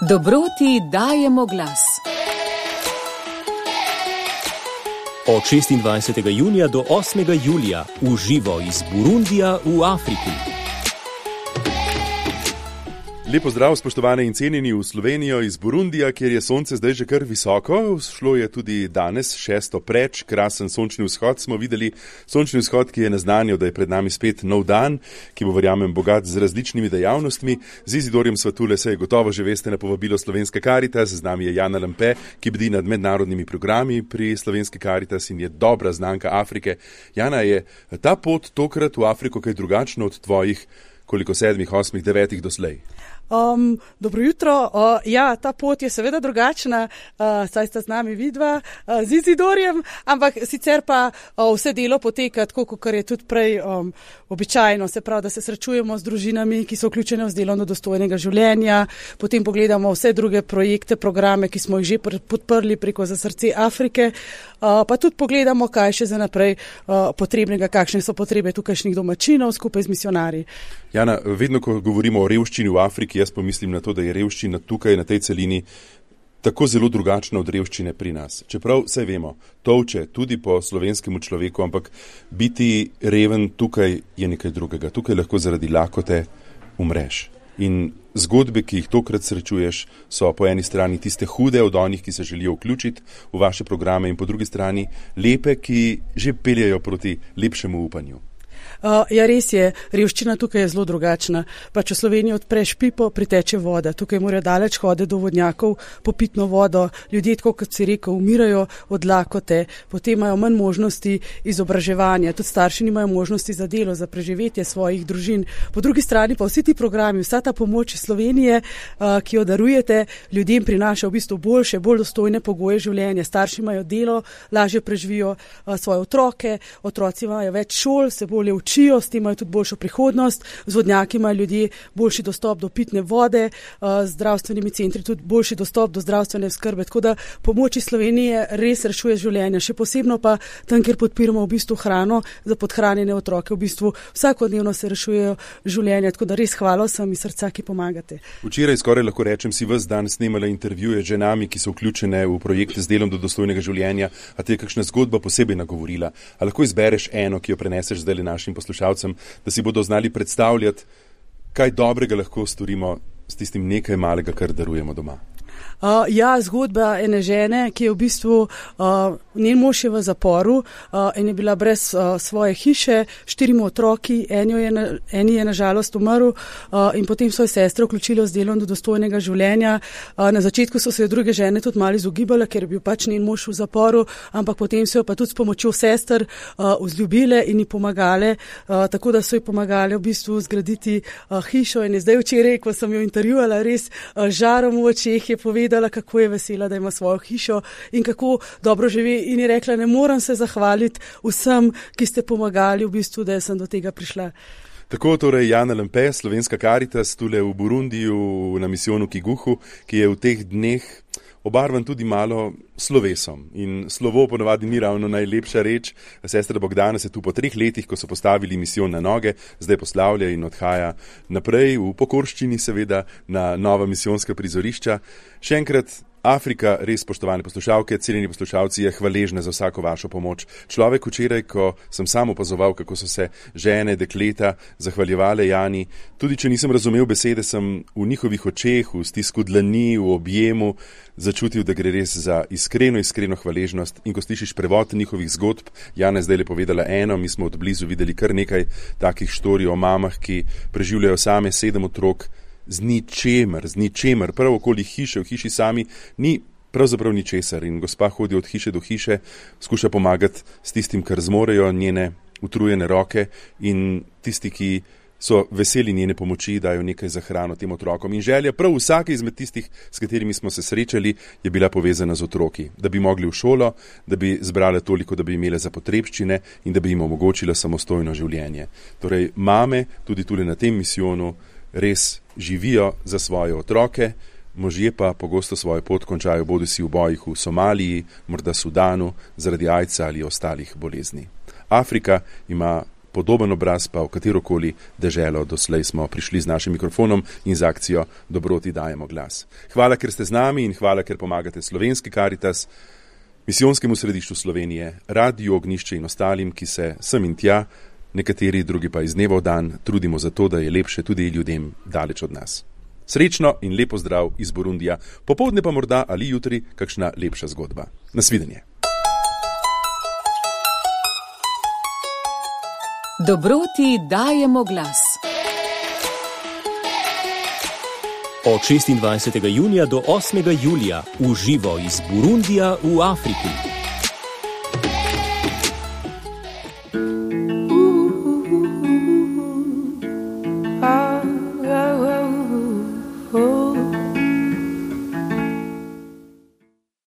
Dobroti dajemo glas. Od 26. junija do 8. julija v živo iz Burundija v Afriki. Lepo zdrav, spoštovane in cenjeni v Slovenijo iz Burundija, kjer je sonce zdaj že kar visoko. Šlo je tudi danes, 6. preč, krasen sončni vzhod smo videli. Sončni vzhod, ki je naznanil, da je pred nami spet nov dan, ki bo, verjamem, bogat z različnimi dejavnostmi. Z Izidorjem Svatule se je gotovo že veste na povabilo Slovenske Karitas. Z nami je Jana Lampe, ki bdi nad mednarodnimi programi pri Slovenski Karitas in je dobra znanka Afrike. Jana, je ta pot tokrat v Afriko kaj drugačno od tvojih, koliko 7, 8, 9 doslej? Dobro jutro. Ja, ta pot je seveda drugačna, saj sta z nami vidva z Izidorjem, ampak sicer pa vse delo poteka tako, kot je tudi prej običajno, se pravi, da se srečujemo z družinami, ki so vključene v delovno dostojnega življenja, potem pogledamo vse druge projekte, programe, ki smo jih že podprli preko Za srce Afrike, pa tudi pogledamo, kaj še za naprej potrebnega, kakšne so potrebe tukajšnjih domačinov skupaj z misionarji. Jana, vedno, ko govorimo o revščini v Afriki, jaz pomislim na to, da je revščina tukaj, na tej celini, tako zelo drugačna od revščine pri nas. Čeprav vse vemo, tolče tudi po slovenskemu človeku, ampak biti reven tukaj je nekaj drugega. Tukaj lahko zaradi lakote umreš. In zgodbe, ki jih tokrat srečuješ, so po eni strani tiste hude od onih, ki se želijo vključiti v vaše programe, in po drugi strani lepe, ki že peljejo proti lepšemu upanju. Ja, res je, revščina tukaj je zelo drugačna. Pa če v Sloveniji odpreš pipo, priteče voda. Tukaj morajo daleč hoditi do vodnjakov po pitno vodo. Ljudje, tako kot si rekel, umirajo od lakote, potem imajo manj možnosti izobraževanja, tudi starši nimajo možnosti za delo, za preživetje svojih družin. Po drugi strani pa vsi ti programi, vsa ta pomoč iz Slovenije, ki jo darujete, ljudem prinaša v bistvu boljše, bolj dostojne pogoje življenja. Starši imajo delo, lažje preživijo svoje otroke, otroci imajo več šol, se bolje učijo, s tem imajo tudi boljšo prihodnost, z vodnjaki imajo ljudje boljši dostop do pitne vode, z zdravstvenimi centri tudi boljši dostop do zdravstvene skrbe, tako da pomoč iz Slovenije res rešuje življenja, še posebno pa tam, kjer podpiramo v bistvu hrano za podhranjene otroke, v bistvu vsakodnevno se rešujejo življenja, tako da res hvala sem iz srca, ki pomagate. Včeraj skoraj lahko rečem, si ves dan snemala intervjuje z ženami, ki so vključene v projekte z delom do dostojnega življenja, a te je kakšna zgodba posebej nagovorila? A lahko izbereš eno, ki jo preneseš zdaj našim poslušalcem, da si bodo znali predstavljati, kaj dobrega lahko storimo s tistim nekaj malega, kar darujemo doma? Ja, zgodba ene žene, ki je v bistvu, njen mož je v zaporu in je bila brez svoje hiše, 4 otroki, eni je nažalost umrl in potem svoje sestre vključilo z delom do dostojnega življenja. Na začetku so se jo druge žene tudi malo izogibale, ker je bil pač njen mož v zaporu, ampak potem so jo pa tudi s pomočjo sester vzljubile in ji pomagale, tako da so ji pomagale v bistvu zgraditi hišo in je zdaj včeraj, ko sem jo intervjuvala, res žarom v očeh je povedala, kako je vesela, da ima svojo hišo in kako dobro živi, in je rekla, ne morem se zahvaliti vsem, ki ste pomagali v bistvu, da sem do tega prišla. Tako torej Jana Lampe, Slovenska Karitas, tule v Burundiju na misijonu Kiguhu, ki je v teh dneh obarvan tudi malo slovesom. In slovo ponavadi ni ravno najlepša reč. Sestra Bogdana se tu po 3 letih, ko so postavili misijon na noge, zdaj poslavlja in odhaja naprej v pokorščini, seveda, na nova misijonska prizorišča. Še enkrat, Afrika, res, spoštovane poslušalke, cenjeni poslušalci, je hvaležna za vsako vašo pomoč. Človek včeraj, ko sem sam opazoval, kako so se žene, dekleta zahvaljevale Jani, tudi če nisem razumel besede, sem v njihovih očeh, v stisku dlani, v objemu začutil, da gre res za iskreno hvaležnost. In ko slišiš prevod njihovih zgodb, Jana je zdaj le povedala eno, mi smo od blizu videli kar nekaj takih štorij o mamah, ki preživljajo same 7 otrok, z ničemer, prav okoli hiše, v hiši sami, ni pravzaprav ničesar in gospa hodi od hiše do hiše, skuša pomagati s tistim, kar zmorejo njene utrujene roke, in tisti, ki so veseli njene pomoči, dajo nekaj za hrano tem otrokom. In želja prav vsake izmed tistih, s katerimi smo se srečali, je bila povezana z otroki, da bi mogli v šolo, da bi zbrale toliko, da bi imele za potrebščine in da bi jim omogočila samostojno življenje. Torej, mame tudi tule na tem misijonu res živijo za svoje otroke, možje pa pogosto svojo pot končajo bodisi v bojih v Somaliji, morda Sudanu, zaradi aidsa ali ostalih bolezni. Afrika ima podoben obraz pa v katerokoli deželo doslej smo prišli z našim mikrofonom in z akcijo Dobroti dajemo glas. Hvala, ker ste z nami in hvala, ker pomagate Slovenski Karitas, Misijonskemu središču Slovenije, Radiu Ognjišče in ostalim, ki se sem in tja, nekateri drugi pa iz dneva v dan, trudimo za to, da je lepše tudi ljudem daleč od nas. Srečno in lepo zdrav iz Burundija, popoldne pa morda ali jutri kakšna lepša zgodba. Nasvidenje. Dobroti dajemo glas. Od 26. junija do 8. julija v živo iz Burundija v Afriki.